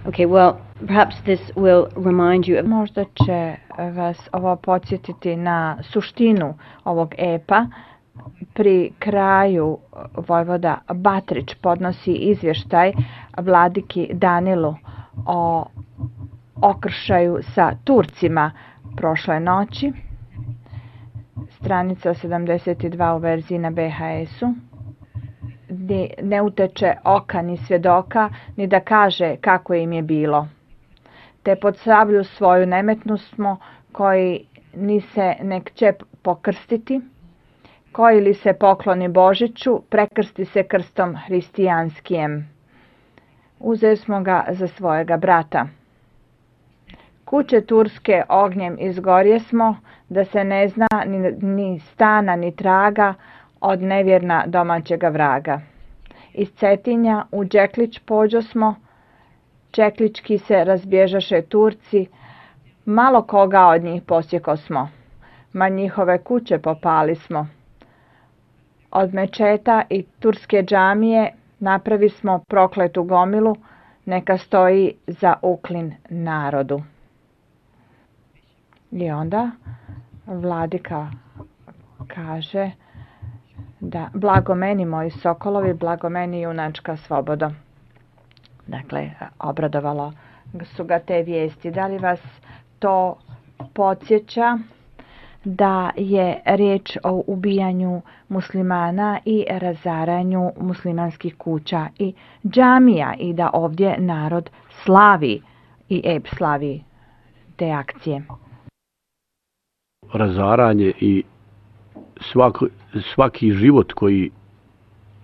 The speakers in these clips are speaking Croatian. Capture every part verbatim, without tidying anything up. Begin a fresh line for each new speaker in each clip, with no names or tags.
Okay, well, perhaps this will remind you of...
Možda će vas ovo podsjetiti na suštinu ovog epa. Pri kraju vojvoda Batrić podnosi izvještaj vladiki Danilu o okršaju sa Turcima prošle noći. Stranica sedamdeset dva u verziji na B H S-u. Ne uteče oka ni svjedoka, ni da kaže kako im je bilo. Te pod sablju svoju nemetnost smo, koji ni se nek će pokrstiti, koji li se pokloni Božiću, prekrsti se krstom hristijanskijem. Uzeli smo ga za svojega brata. Kuće turske ognjem izgorje smo, da se ne zna ni, ni stana ni traga od nevjerna domaćega vraga. Iz Cetinja u Đeklić pođo smo, čeklički se razbježaše Turci, malo koga od njih posjeko smo, ma njihove kuće popali smo. Od mečeta i turske džamije napravi smo prokletu gomilu, neka stoji za uklin narodu. I onda vladika kaže da blago meni moji sokolovi, blago meni junačka slobodo. Dakle, obradovalo su ga te vijesti. Da li vas to podsjeća da je riječ o ubijanju muslimana i razaranju muslimanskih kuća i džamija i da ovdje narod slavi i ep slavi te akcije?
Razaranje i svaki, svaki život koji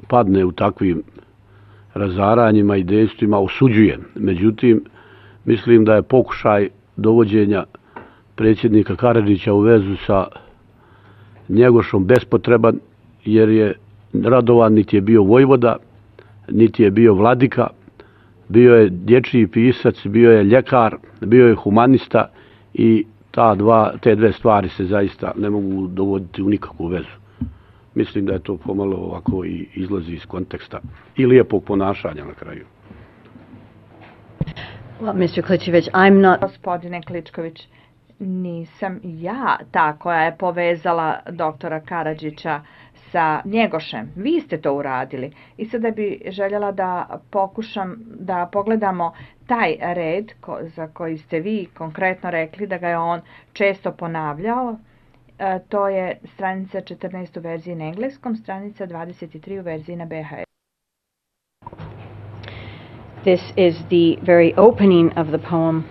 padne u takvim razaranjima i dejstvima osuđujem. Međutim, mislim da je pokušaj dovođenja predsjednika Karadžića u vezu sa Njegošom bespotreban, jer je Radovan niti je bio vojvoda, niti je bio vladika, bio je dječji pisac, bio je ljekar, bio je humanista i ta dva, te dve stvari se zaista ne mogu dovoditi u nikakvu vezu. Mislim da je to pomalo ovako i izlazi iz konteksta i lijepog ponašanja na kraju.
Well, mister Kličević, I'm not...
Gospodine Kličković, nisam ja ta koja je povezala doktora Karadžića sa Njegošem. Vi ste to uradili. I sada bi željela da pokušam da pogledamo taj red ko, za koji ste vi konkretno rekli da ga je on često ponavljao. E, to je stranica četrnaest u verziji na engleskom, stranica dvadeset tri u verziji na B H S.
This is the very opening of the poem.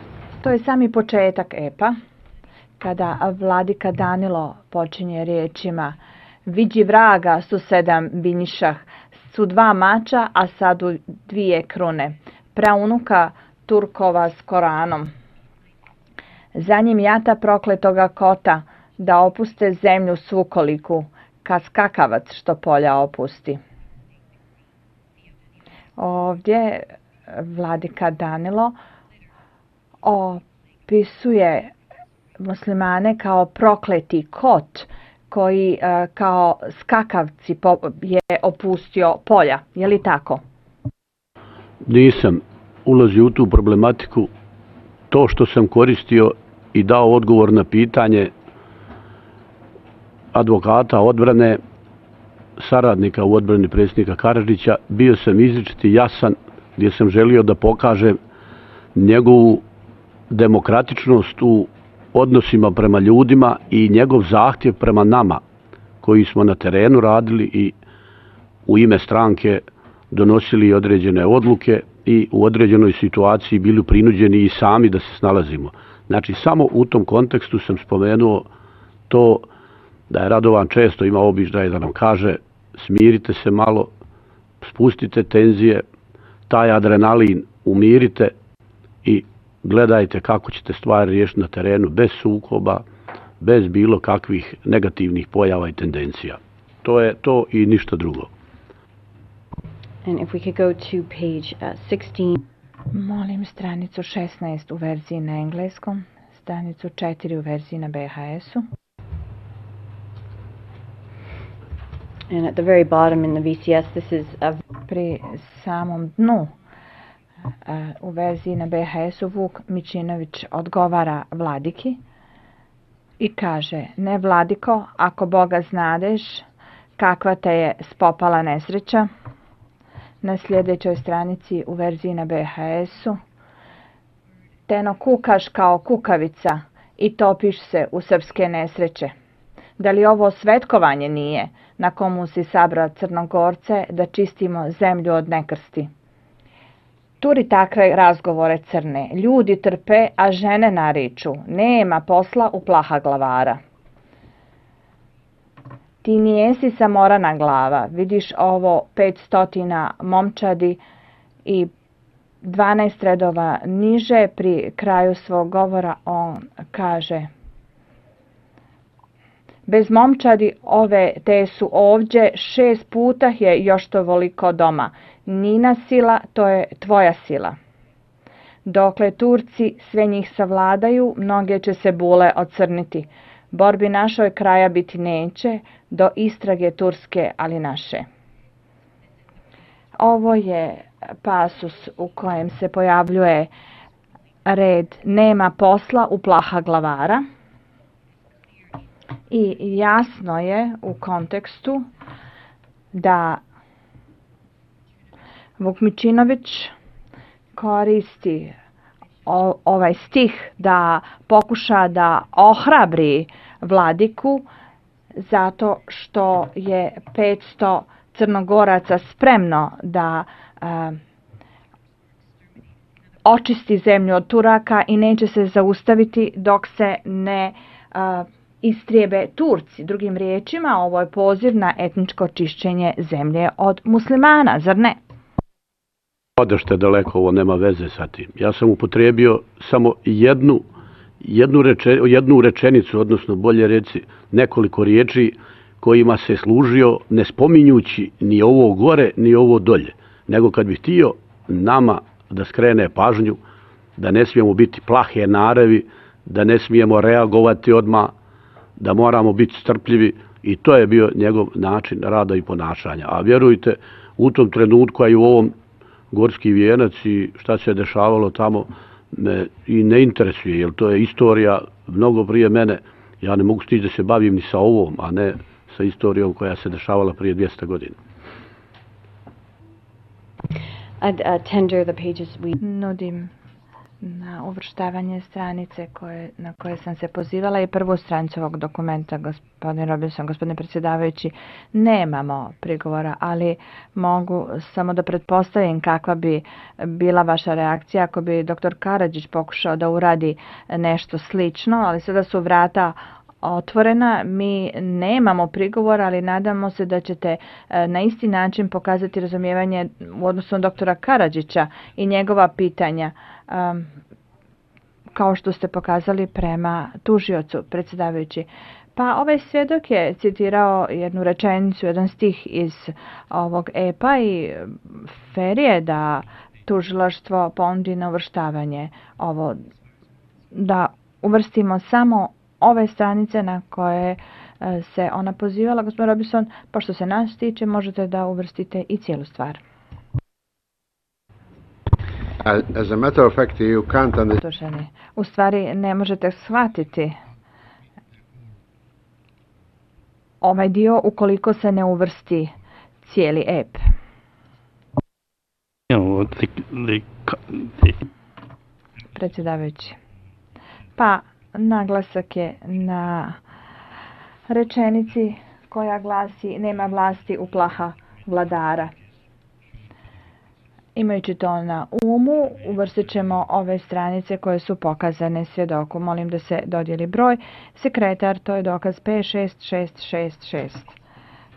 To je sami početak epa, kada vladika Danilo počinje riječima: Viđi vraga su sedam binjišah, su dva mača, a sadu dvije krune, praunuka Turkova s Koranom. Za njim jata prokletoga kota, da opuste zemlju svu koliku, ka skakavac što polja opusti. Ovdje vladika Danilo opisuje muslimane kao prokleti kot koji kao skakavci je opustio polja. Je li tako?
Nisam ulazio u tu problematiku. To što sam koristio i dao odgovor na pitanje advokata odbrane, saradnika u odbrani predsjednika Karadžića, bio sam izričiti jasan, gdje sam želio da pokažem njegovu demokratičnost u odnosima prema ljudima i njegov zahtjev prema nama koji smo na terenu radili i u ime stranke donosili određene odluke i u određenoj situaciji bili prinuđeni i sami da se snalazimo. Znači, samo u tom kontekstu sam spomenuo to da je Radovan često imao običaj da nam kaže: smirite se malo, spustite tenzije, taj adrenalin umirite i gledajte kako ćete stvari riješiti na terenu bez sukoba, bez bilo kakvih negativnih pojava i tendencija. To je to i ništa drugo.
And if we could go to page uh, sixteen.
Molim stranicu šesnaest u verziji na engleskom, stranicu četiri u verziji na B H S-u.
And at the very bottom in the V C S, this is a...
Pri samom dnu U verziji na B H S-u Vuk Mičinović odgovara vladiki i kaže: ne vladiko, ako Boga znadeš, kakva te je spopala nesreća. Na sljedećoj stranici u verziji na B H S-u: teno kukaš kao kukavica i topiš se u srpske nesreće. Da li ovo svetkovanje nije na komu si sabra Crnogorce da čistimo zemlju od nekrsti? Turi takve razgovore crne. Ljudi trpe, a žene nariču. Nema posla u plaha glavara. Ti nijesi samorana glava. Vidiš ovo petstotina momčadi i dvanaest redova niže pri kraju svog govora on kaže: bez momčadi ove te su ovdje, šest puta je još to voliko doma. Nina sila, to je tvoja sila. Dokle Turci sve njih savladaju, mnoge će se bule ocrniti. Borbi našoj kraja biti neće, do istrage turske, ali naše. Ovo je pasus u kojem se pojavljuje red nema posla u plaha glavara. I jasno je u kontekstu da Vuk Mičinović koristi o, ovaj stih da pokuša da ohrabri vladiku zato što je petsto Crnogoraca spremno da a, očisti zemlju od Turaka i neće se zaustaviti dok se ne a, istrijebe Turci. Drugim riječima, ovo je poziv na etničko čišćenje zemlje od muslimana, zar ne?
Odešte daleko, ovo nema veze sa tim. Ja sam upotrijebio samo jednu, jednu, reče, jednu rečenicu, odnosno bolje reci nekoliko riječi kojima se služio ne spominjući ni ovo gore, ni ovo dolje. Nego kad bih htio nama da skrene pažnju, da ne smijemo biti plahe naravi, da ne smijemo reagovati odmah, da moramo biti strpljivi, i to je bio njegov način rada i ponašanja. A vjerujte, u tom trenutku, a i u ovom Gorski vijenac i šta se dešavalo tamo me i ne interesuje, jer to je istorija mnogo prije mene. Ja ne mogu stići da se bavim ni sa ovom, a ne sa istorijom koja se dešavala prije dvjesto godina.
I'd uh, tender the pages we...
Nudim na uvrštavanje stranice koje, na koje sam se pozivala i prvu stranicu ovog dokumenta, gospodin Robinson, gospodine predsjedavajući. Nemamo prigovora, ali mogu samo da pretpostavim kakva bi bila vaša reakcija ako bi doktor Karadžić pokušao da uradi nešto slično, ali sada su vrata otvorena. Mi nemamo prigovora, ali nadamo se da ćete na isti način pokazati razumijevanje u odnosu na doktora Karadžića i njegova pitanja, um, kao što ste pokazali prema tužiocu, predsjedavajući. Pa ovaj svjedok je citirao jednu rečenicu, jedan stih iz ovog epa i fer je da tužilaštvo ponudi na uvrštavanje ovo, da uvrstimo samo ove stranice na koje se ona pozivala. Gospodin Robinson, pošto se nas tiče, možete da uvrstite i cijelu stvar.
As a matter of fact, you can't understand.
U stvari ne možete shvatiti ovaj dio ukoliko se ne uvrsti cijeli ep. Predsjedavajući. Pa naglasak je na rečenici koja glasi: nema vlasti u plaha vladara. Imajući to na umu, uvrstit ćemo ove stranice koje su pokazane svjedoku. Molim da se dodijeli broj. Sekretar, to je dokaz P šest šest šest šest.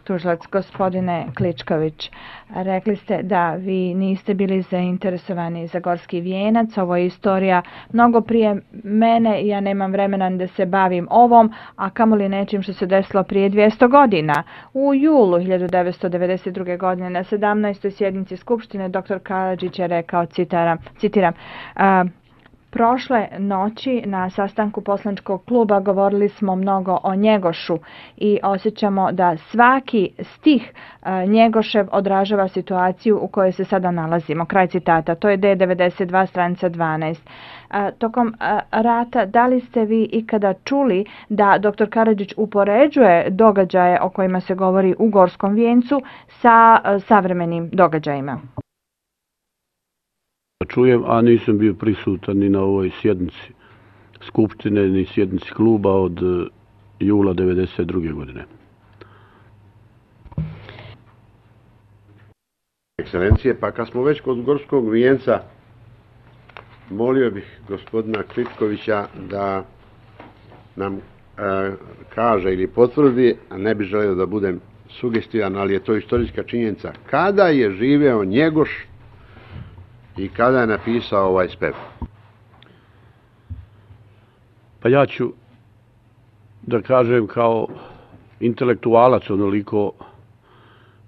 Tužilac, gospodine Kličković, rekli ste da vi niste bili zainteresovani za Gorski vijenac. Ovo je istorija mnogo prije mene. Ja nemam vremena da se bavim ovom, a kamoli nečim što se desilo prije dvjesto godina. U julu hiljadu devetsto devedeset druge. godine na sedamnaestoj sjednici Skupštine doktor Karadžić je rekao, citaram, citiram, uh, Prošle noći na sastanku poslaničkog kluba govorili smo mnogo o Njegošu i osjećamo da svaki stih Njegošev odražava situaciju u kojoj se sada nalazimo. Kraj citata. To je D devedeset dva, stranica dvanaest. Tokom rata, da li ste vi ikada čuli da doktor Karadžić upoređuje događaje o kojima se govori u Gorskom vijencu sa savremenim događajima?
Čujem, a nisam bio prisutan ni na ovoj sjednici Skupštine, ni sjednici kluba od jula devedeset druge godine.
Ekscelencije, pa kad smo već kod Gorskog vijenca, molio bih gospodina Kličkovića da nam e, kaže ili potvrdi, a ne bih želio da budem sugestivan, ali je to istorijska činjenica, kada je živeo Njegoš i kada je napisao ovaj spev?
Pa ja ću da kažem kao intelektualac onoliko,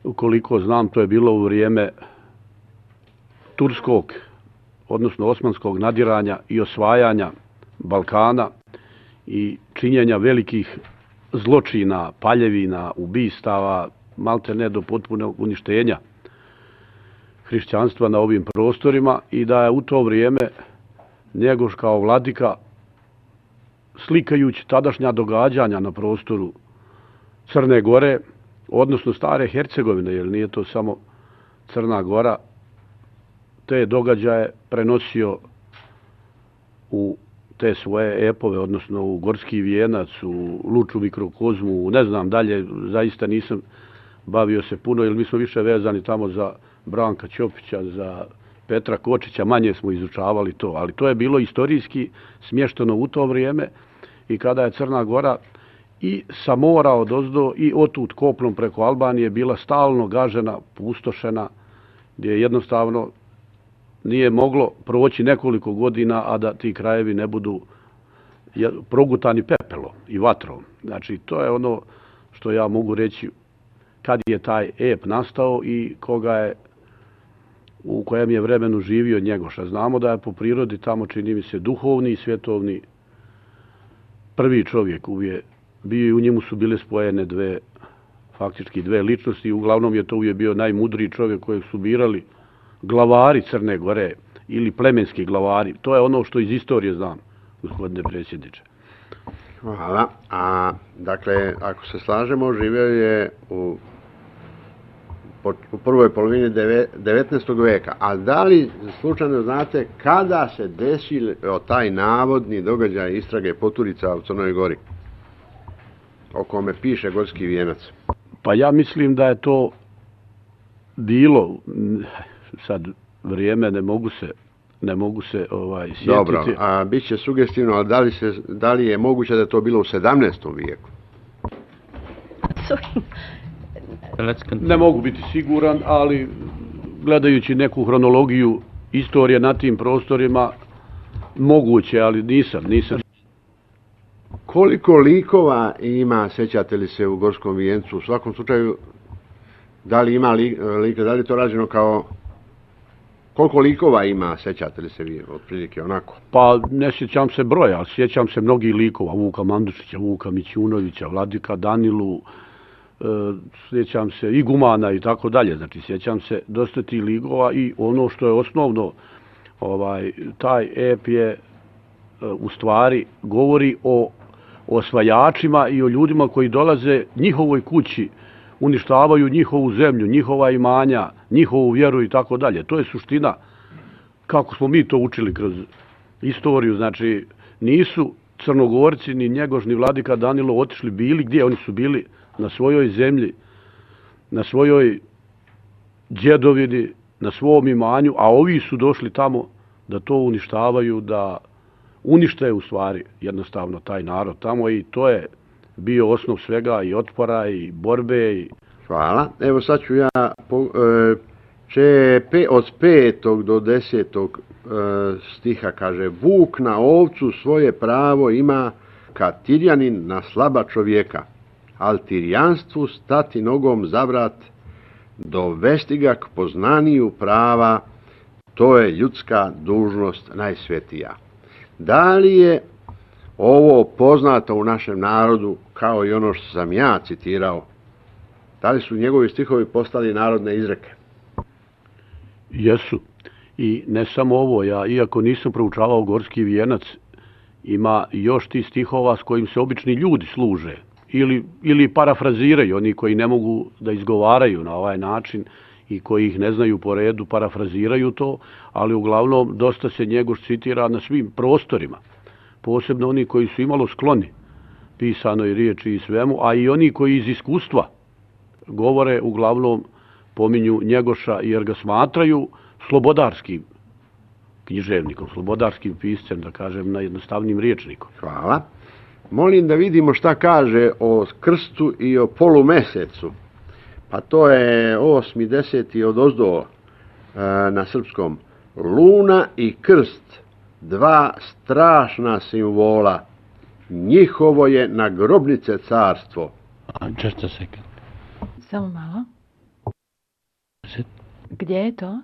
ukoliko znam, to je bilo u vrijeme turskog, odnosno osmanskog nadiranja i osvajanja Balkana i činjenja velikih zločina, paljevina, ubistava, malte ne do potpunog uništenja hrišćanstva na ovim prostorima i da je u to vrijeme Njegoš kao vladika, slikajući tadašnja događanja na prostoru Crne Gore, odnosno stare Hercegovine, jer nije to samo Crna Gora, te događaje prenosio u te svoje epove, odnosno u Gorski vijenac, u Luču mikrokozmu, ne znam dalje, zaista nisam bavio se puno, jer mi smo više vezani tamo za Branka Ćopića, za Petra Kočića, manje smo izučavali to, ali to je bilo istorijski smješteno u to vrijeme i kada je Crna Gora i sa mora odozdo i otud kopnom preko Albanije bila stalno gažena, pustošena, gdje jednostavno nije moglo proći nekoliko godina, a da ti krajevi ne budu progutani pepelom i vatrom. Znači, to je ono što ja mogu reći kad je taj ep nastao i koga je, u kojem je vremenu živio Njegoša. Znamo da je po prirodi tamo, čini mi se, duhovni i svjetovni prvi čovjek uvijek bio i u njemu su bile spojene dve, faktički dve ličnosti. Uglavnom je to uvijek bio najmudriji čovjek kojeg su birali glavari Crne Gore ili plemenski glavari. To je ono što iz istorije znam, gospodine predsjedniče.
Hvala. A, dakle, ako se slažemo, živio je u, u prvoj polovini devetnaestog vijeka. A da li slučajno znate kada se desio taj navodni događaj istrage poturica u Crnoj Gori, o kome piše Gorski vijenac?
Pa ja mislim da je to bilo, sad vrijeme ne mogu se ne mogu se ovaj sjetiti.
Dobro, a bit će sugestivno, ali da li, se, da li je moguće da je to bilo u sedamnaestom vijeku?
Ne mogu biti siguran, ali gledajući neku hronologiju istorije na tim prostorima, moguće, ali nisam, nisam.
Koliko likova ima, sećate li se, u Gorskom vijencu? U svakom slučaju, da li ima lika, da li je to rađeno kao... Koliko likova ima, sećate li se vi, otprilike onako?
Pa ne sjećam se broja, ali sjećam se mnogih likova. Vuka Mandušića, Vuka Mićunovića, Vladika Danilu, e, sjećam se i Gumana i tako dalje. Znači, sjećam se dosta tih likova i ono što je osnovno, ovaj, taj ep je e, u stvari govori o osvajačima i o ljudima koji dolaze njihovoj kući, uništavaju njihovu zemlju, njihova imanja, njihovu vjeru i tako dalje. To je suština kako smo mi to učili kroz istoriju. Znači, nisu Crnogorci, ni Njegoš, ni Vladika Danilo otišli bili gdje? Oni su bili na svojoj zemlji, na svojoj djedovini, na svom imanju, a ovi su došli tamo da to uništavaju, da unište u stvari jednostavno taj narod tamo i to je bio osnov svega i otpora i borbe. I...
Hvala. Evo sad ću ja po, e, če, pe, od petog do desetog e, stiha kaže: Vuk na ovcu svoje pravo ima kad Tirjanin na slaba čovjeka, al Tirjanstvu stati nogom za vrat, dovesti ga k poznaniju prava, to je ljudska dužnost najsvetija. Da li je ovo poznato u našem narodu kao i ono što sam ja citirao? Da li su njegovi stihovi postali narodne izreke?
Jesu. I ne samo ovo, ja iako nisam proučavao Gorski vijenac, ima još ti stihova s kojim se obični ljudi služe ili, ili parafraziraju, oni koji ne mogu da izgovaraju na ovaj način i koji ih ne znaju po redu, parafraziraju to, ali uglavnom dosta se Njegoš citira na svim prostorima, posebno oni koji su imalo skloni pisanoj riječi i svemu, a i oni koji iz iskustva govore uglavnom pominju Njegoša jer ga smatraju slobodarskim književnikom, slobodarskim piscem, da kažem, na jednostavnim riječnikom.
Hvala. Molim da vidimo šta kaže o krstu i o polumesecu. Pa to je osmi, deseti odozdo na srpskom. Luna i krst, dva strašna simbola. Njihovo je na grobnice carstvo.
Just a second.
Samo malo.
Is it?
Gdje je to?